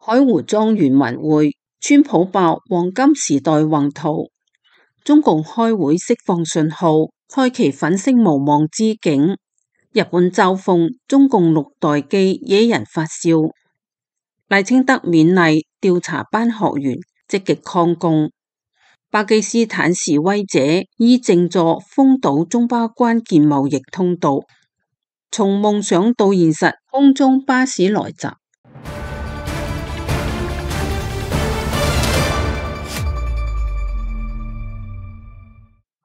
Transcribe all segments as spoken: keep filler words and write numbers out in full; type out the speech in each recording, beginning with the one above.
海湖莊園文會，川普爆黃金時代宏圖，中共開會釋放信號，開啟粉飾無望之境。日本嘲諷中共六代機惹人發笑。賴清德勉勵調查班學員積極抗共。巴基斯坦示威者以靜坐封堵中巴關鍵貿易通道。從夢想到現實，空中巴士來襲。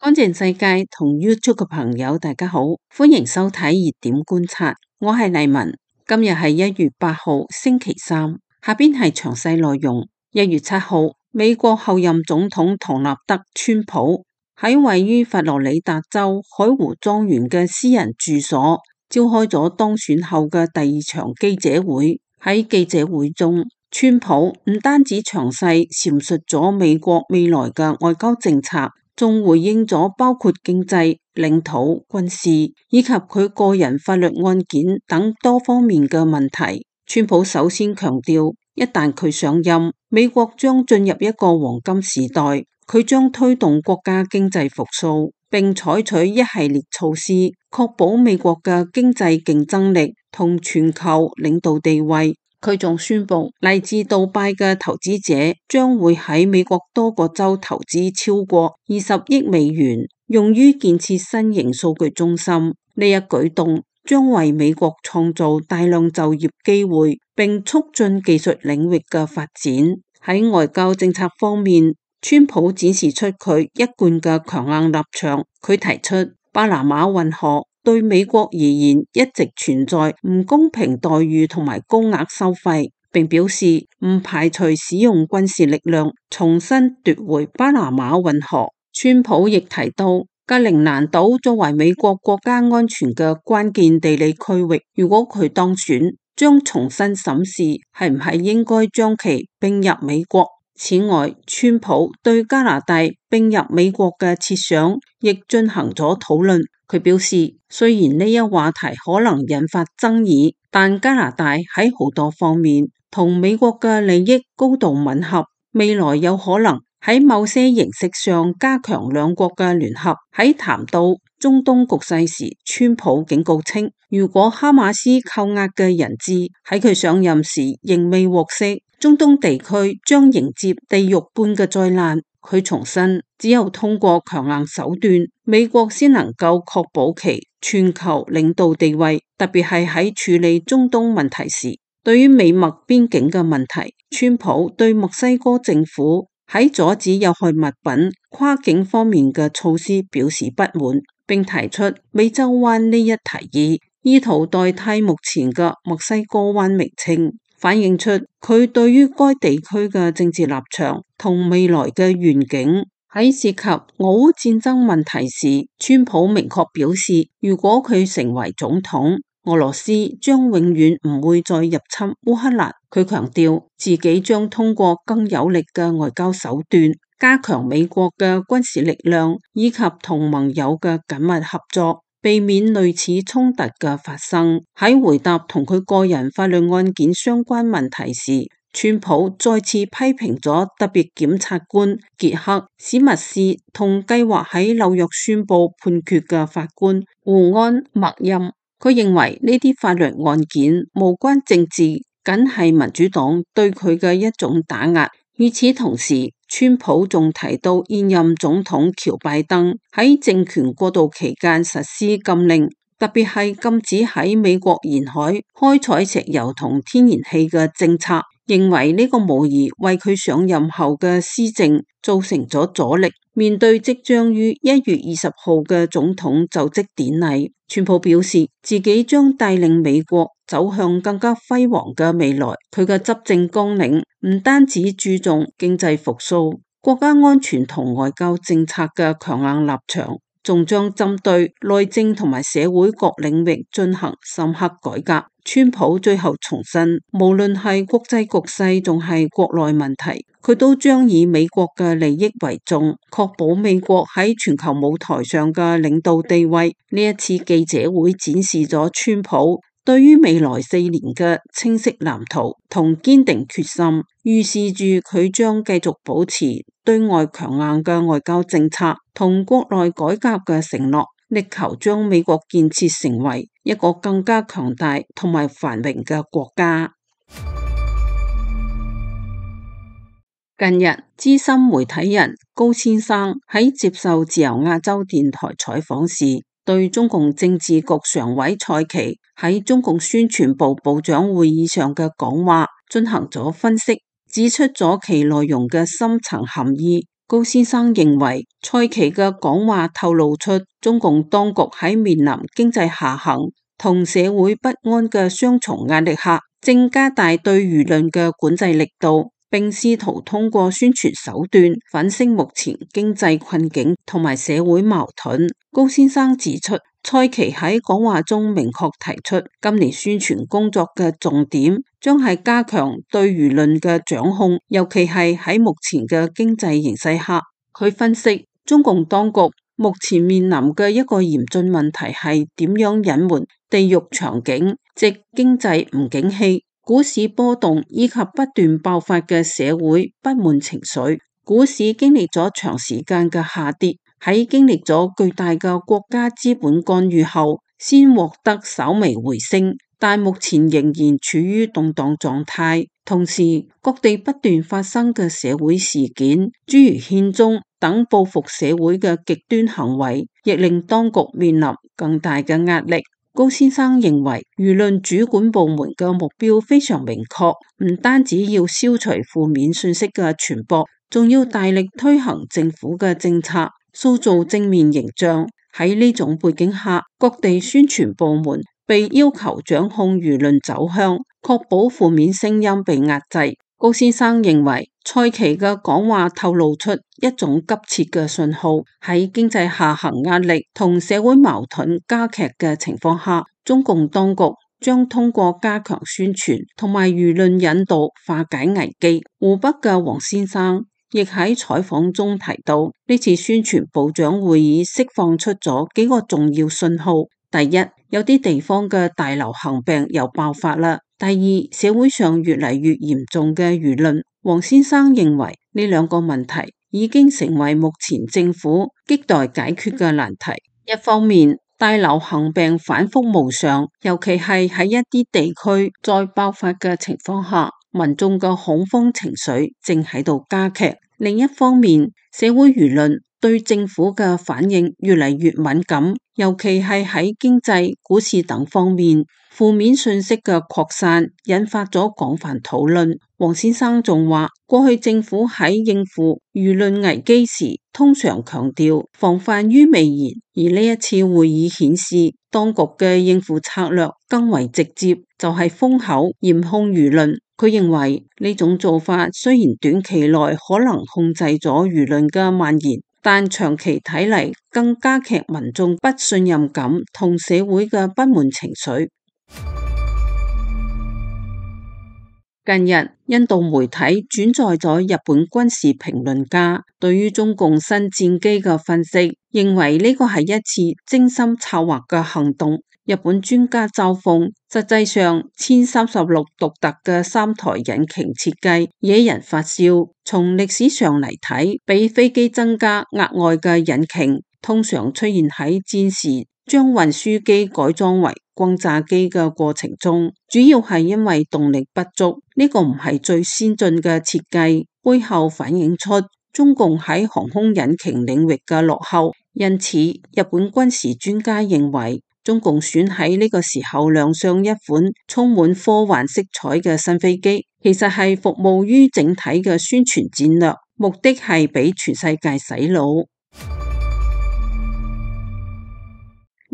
乾淨世界同 YouTube 嘅朋友大家好，歡迎收睇熱點觀察，我係麗文。今日係一月八號星期三，下邊係詳細內容。一月七號，美國後任總統唐納德川普喺位於佛羅里達州海湖莊園嘅私人住所召開咗當選後嘅第二場記者會。喺記者會中，川普唔單止詳細闡述咗美國未來嘅外交政策，仲回應咗包括經濟、領土、軍事以及佢個人法律案件等多方面嘅問題。川普首先強調，一旦佢上任，美國將進入一個黃金時代，佢將推動國家經濟復甦，並採取一系列措施，確保美國嘅經濟競爭力同全球領導地位。佢仲宣布，嚟自杜拜嘅投資者將會喺美國多個州投資超過二十億美元，用於建設新型數據中心。呢一舉動將為美國創造大量就業機會，並促進技術領域嘅發展。喺外交政策方面，川普展示出佢一貫嘅強硬立場。佢提出巴拿馬運河對美國而言一直存在唔公平待遇同埋高額收費，並表示唔排除使用軍事力量重新奪回巴拿馬運河。川普亦提到，格陵蘭島作為美國國家安全嘅關鍵地理區域，如果佢當選，將重新審視係唔係應該將其併入美國。此外，川普對加拿大併入美國嘅設想亦進行咗討論。佢表示，雖然呢一話題可能引發爭議，但加拿大喺好多方面同美國嘅利益高度吻合，未來有可能喺某些形式上加強兩國嘅聯合。喺談到中東局勢時，川普警告稱，如果哈馬斯扣押嘅人質喺佢上任時仍未獲釋，中東地區將迎接地獄般嘅災難。佢重申，只有通過強硬手段，美國先能夠確保其全球領導地位，特別係喺處理中東問題時。對於美墨邊境嘅問題，川普對墨西哥政府喺阻止有害物品跨境方面嘅措施表示不滿，並提出美洲灣呢一提議，意圖代替目前嘅墨西哥灣名稱，反映出佢對於該地區嘅政治立場同未來嘅願景。喺涉及俄烏戰爭問題時，川普明確表示，如果佢成為總統，俄羅斯將永遠唔會再入侵烏克蘭。佢強調自己將通過更有力嘅外交手段，加強美國嘅軍事力量以及同盟友嘅緊密合作，避免類似衝突嘅發生。喺回答同佢個人法律案件相關問題時，川普再次批評咗特別檢察官傑克史密斯同計劃喺紐約宣布判決嘅法官胡安默欽。佢認為呢啲法律案件無關政治，僅係民主黨對佢嘅一種打壓。與此同時，川普仲提到現任總統喬拜登喺政權過渡期間實施禁令，特別係禁止喺美國沿海開採石油同天然氣嘅政策，認為呢個無疑為佢上任後嘅施政造成咗阻力。面對即將於一月二十號嘅總統就職典禮，川普表示自己將帶領美國走向更加輝煌嘅未來。佢嘅執政綱領唔單止注重經濟復甦、國家安全同外交政策嘅強硬立場，仲將針對內政同埋社會各領域進行深刻改革。川普最後重申，無論係國際局勢仲係國內問題，佢都將以美國嘅利益為重，確保美國喺全球舞台上嘅領導地位。呢一次記者會展示咗川普對於未來四年嘅清晰藍圖同堅定決心，預示住佢將繼續保持對外強硬嘅外交政策同國內改革嘅承諾，力求將美國建設成為一個更加強大同埋繁榮嘅國家。近日，資深媒體人高先生喺接受自由亞洲電台採訪時，對中共政治局常委蔡奇喺中共宣傳部部長會議上嘅講話進行咗分析，指出咗其內容嘅深層含義。高先生認為，蔡奇嘅講話透露出中共當局喺面臨經濟下行同社會不安嘅雙重壓力下，正加大對輿論嘅管制力度，並試圖通過宣傳手段粉飾目前經濟困境同埋社會矛盾。高先生指出，蔡奇喺講話中明確提出，今年宣傳工作嘅重點將係加強對輿論嘅掌控，尤其係喺目前嘅經濟形勢下。佢分析，中共當局目前面臨嘅一個嚴峻問題係點樣隱瞞地獄場景，即經濟唔景氣、股市波動以及不斷爆發嘅社會不滿情緒。股市經歷咗長時間嘅下跌，喺經歷咗巨大嘅國家資本干預後，先獲得稍微回升，但目前仍然處於動盪狀態。同時，各地不斷發生嘅社會事件，諸如憲宗等報復社會嘅極端行為，亦令當局面臨更大嘅壓力。高先生認為，輿論主管部門嘅目標非常明確，唔單止要消除負面信息嘅傳播，仲要大力推行政府嘅政策，塑造正面形象。喺呢種背景下，各地宣傳部門被要求掌控輿論走向，確保負面聲音被壓制。高先生認為，蔡奇嘅講話透露出一種急切嘅信號，喺經濟下行壓力同社會矛盾加劇嘅情況下，中共當局將通過加強宣傳同埋輿論引導化解危機。湖北嘅黃先生亦喺採訪中提到，呢次宣傳部長會議釋放出咗幾個重要信號。第一，有啲地方嘅大流行病又爆發啦。第二，社會上越嚟越嚴重嘅輿論。黃先生認為呢兩個問題已經成為目前政府亟待解決嘅難題。一方面，大流行病反覆無常，尤其係喺一啲地區再爆發嘅情況下，民眾嘅恐慌情緒正喺度加劇。另一方面，社會輿論對政府嘅反應越嚟越敏感，尤其係喺經濟、股市等方面，負面信息嘅擴散引發咗廣泛討論。黃先生仲話，過去政府喺應付輿論危機時，通常強調防範於未然，而呢一次會議顯示，當局嘅應付策略更為直接，就係封口嚴控輿論。佢認為呢種做法雖然短期內可能控制咗輿論嘅蔓延，但長期睇嚟更加劇民眾不信任感同社會嘅不滿情緒。近日，印度媒體轉載咗日本軍事評論家對於中共新戰機嘅分析，認為呢個係一次精心策劃嘅行動。日本專家嘲諷，實際上殲三十六獨特嘅三台引擎設計惹人發笑。從歷史上嚟睇，俾飛機增加額外嘅引擎，通常出現喺戰時將運輸機改裝為轟炸機嘅過程中，主要係因為動力不足。呢個唔係最先進嘅設計，背後反映出中共喺航空引擎領域嘅落後。因此，日本軍事專家認為，中共選喺呢個時候亮相一款充滿科幻色彩嘅新飛機，其實係服務於整體嘅宣傳戰略，目的係俾全世界洗腦。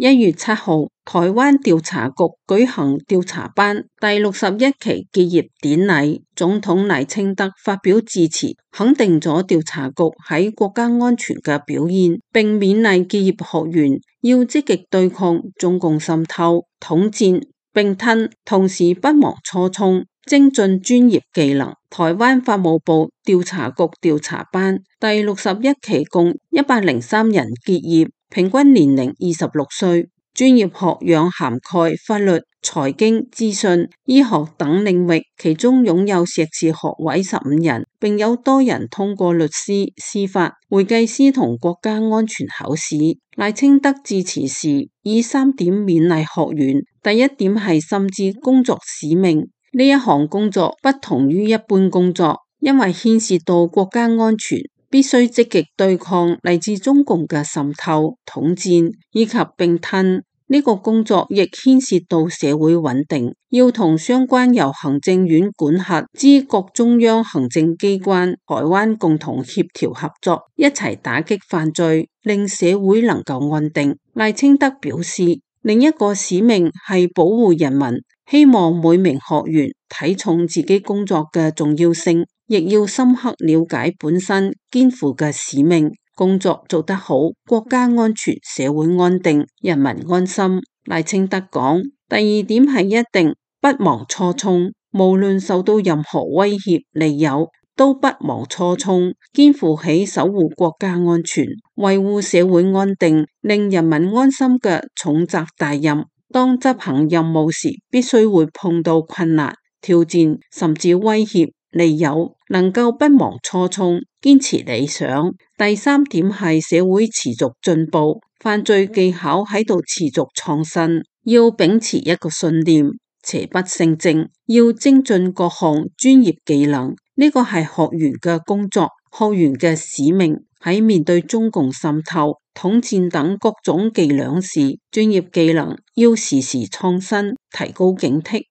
一月七號，台灣調查局舉行調查班第六十一期結業典禮，總統賴清德發表致辭，肯定咗調查局喺國家安全嘅表現，並勉勵結業學員要積極對抗中共滲透、統戰、併吞，同時不忘初衷，精進專業技能。台灣法務部調查局調查班第六十一期共一百零三人結業，平均年齡二十六歲，專業學養涵蓋法律、財經、資訊、醫學等領域，其中擁有碩士學位十五人，並有多人通過律師、司法、會計師同國家安全考試。賴清德致辭時以三點勉勵學員，第一點係深知工作使命，呢一項工作不同於一般工作，因為牽涉到國家安全，必須積極對抗嚟自中共嘅滲透、統戰以及併吞。呢個工作亦牽涉到社會穩定，要同相關由行政院管轄之各中央行政機關、台灣共同協調合作，一齊打擊犯罪，令社會能夠安定。賴清德表示，另一個使命係保護人民，希望每名學員睇重自己工作嘅重要性，亦要深刻了解本身肩負嘅使命。工作做得好，國家安全、社會安定、人民安心。賴清德講，第二點係一定不忘初衷，無論受到任何威脅、利誘，都不忘初衷，肩負起守護國家安全、維護社會安定、令人民安心嘅重責大任。當執行任務時，必須會碰到困難、挑戰，甚至威脅、利誘，能夠不忘初衷，堅持理想。第三點係社會持續進步，犯罪技巧喺度持續創新，要秉持一個信念，邪不勝正，要精進各項專業技能。呢個係學員嘅工作，學員嘅使命。喺面對中共滲透、統戰等各種伎倆時，專業技能要時時創新，提高警惕。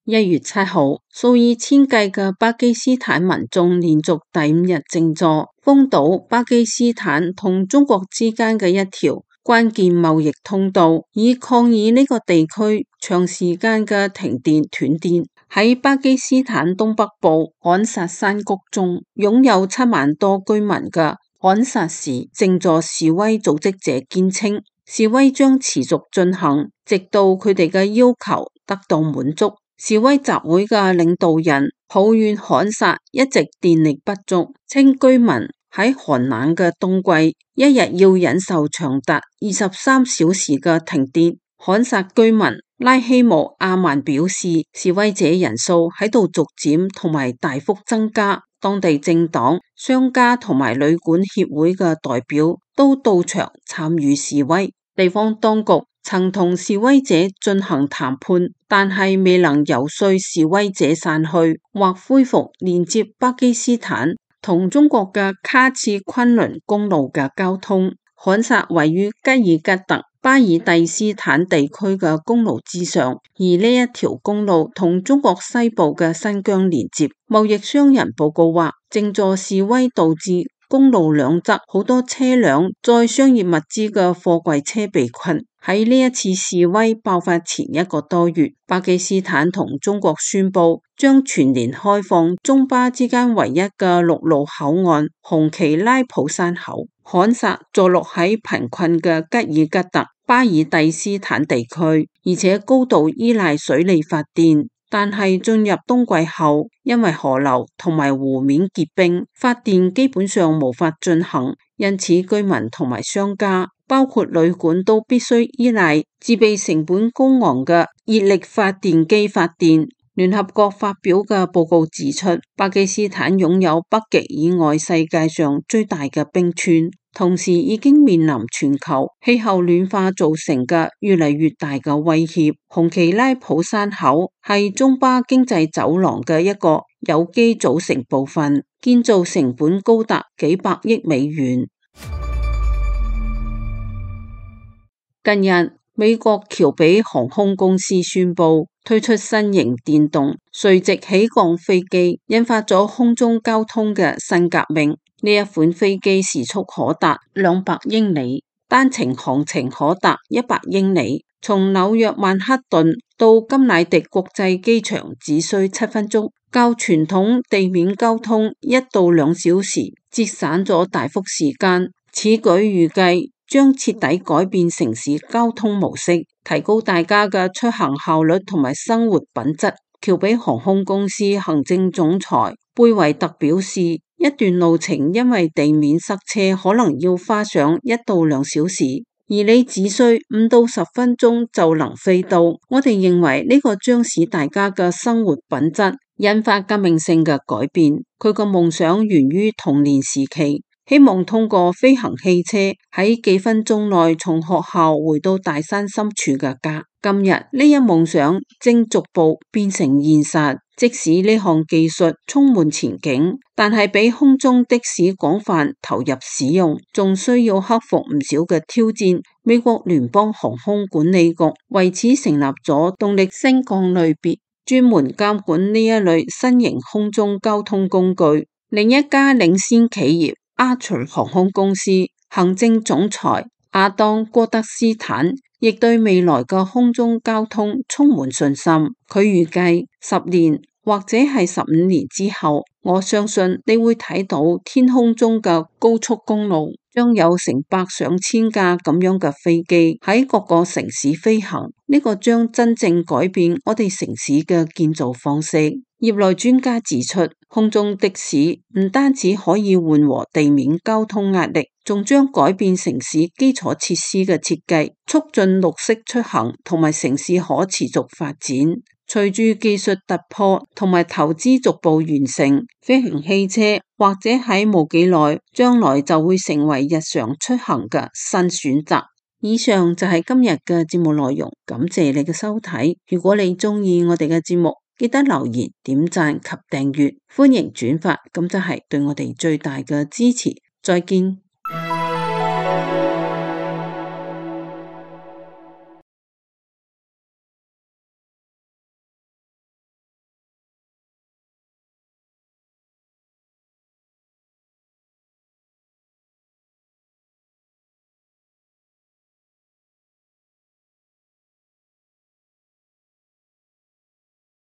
一月七號，數以千計嘅巴基斯坦民眾連續第五日靜坐，封堵巴基斯坦同中國之間嘅一條關鍵貿易通道，以抗議呢個地區長時間嘅停電斷電。喺巴基斯坦東北部罕薩山谷中，擁有七萬多居民嘅罕薩市靜坐示威組織者堅稱，示威將持續進行，直到佢哋嘅要求得到滿足。示威集會嘅領導人抱怨罕薩一直電力不足，稱居民喺寒冷嘅冬季一日要忍受長達二十三小時嘅停電。罕薩居民拉希姆阿曼表示，示威者人數喺度逐漸同埋大幅增加，當地政黨、商家同埋旅館協會嘅代表都到場參與示威。地方當局曾同示威者進行談判，但係未能游說示威者散去或恢復連接巴基斯坦同中國嘅卡茨昆崙公路嘅交通。罕薩位於吉爾吉特巴爾蒂斯坦地區嘅公路之上，而呢一條公路同中國西部嘅新疆連接。貿易商人報告話，靜坐示威導致公路兩側好多車輛載商業物資嘅貨櫃車被困。喺呢一次示威爆發前一個多月，巴基斯坦同中國宣布將全年開放中巴之間唯一嘅陸路口岸紅旗拉普山口。罕薩坐落喺貧困嘅吉爾吉特巴爾蒂斯坦地區，而且高度依賴水利發電。但係進入冬季後，因為河流同埋湖面結冰，發電基本上無法進行，因此居民同埋商家，包括旅館都必須依賴自備成本高昂嘅熱力發電機發電。聯合國發表嘅報告指出，巴基斯坦擁有北極以外世界上最大嘅冰川，同時已經面臨全球氣候暖化造成嘅越嚟越大嘅威脅。紅旗拉普山口係中巴經濟走廊嘅一個有機組成部分，建造成本高達幾百億美元。近日，美國喬比航空公司宣布推出新型電動垂直起降飛機，引發咗空中交通嘅新革命。呢一款飛機時速可達兩百英里，單程航程可達一百英里，從紐約曼克頓到甘迺迪國際機場只需七分鐘，較傳統地面交通一到兩小時，節省咗大幅時間。此舉預計將徹底改變城市交通模式，提高大家嘅出行效率同埋生活品質。喬比航空公司行政總裁貝維特表示，一段路程因為地面塞車可能要花上一到兩小時，而你只需五到十分鐘就能飛到。我哋認為呢個將使大家嘅生活品質引發革命性嘅改變。佢個夢想源於童年時期，希望通過飛行汽車喺幾分鐘內從學校回到大山深處嘅家。今日呢一夢想正逐步變成現實，即使呢項技術充滿前景，但係比空中的士廣泛投入使用，仲需要克服唔少嘅挑戰。美國聯邦航空管理局為此成立咗動力升降類別，專門監管呢一類新型空中交通工具。另一家領先企業阿隨航空公司行政總裁亞當戈德斯坦亦對未來嘅空中交通充滿信心。佢預計十年或者係十五年之後，我相信你會睇到天空中嘅高速公路將有成百上千架咁樣嘅飛機喺各個城市飛行。呢個將真正改變我哋城市嘅建造方式。業內專家指出，空中的士唔單止可以緩和地面交通壓力，仲將改變城市基礎設施嘅設計，促進綠色出行同埋城市可持續發展。隨住技術突破同埋投資逐步完成，飛行汽車或者喺冇幾耐將來就會成為日常出行嘅新選擇。以上就係今日嘅節目內容，感謝你嘅收睇。如果你鍾意我哋嘅節目，記得留言、點讚及訂閱，歡迎轉發，咁就係對我哋最大嘅支持。再見。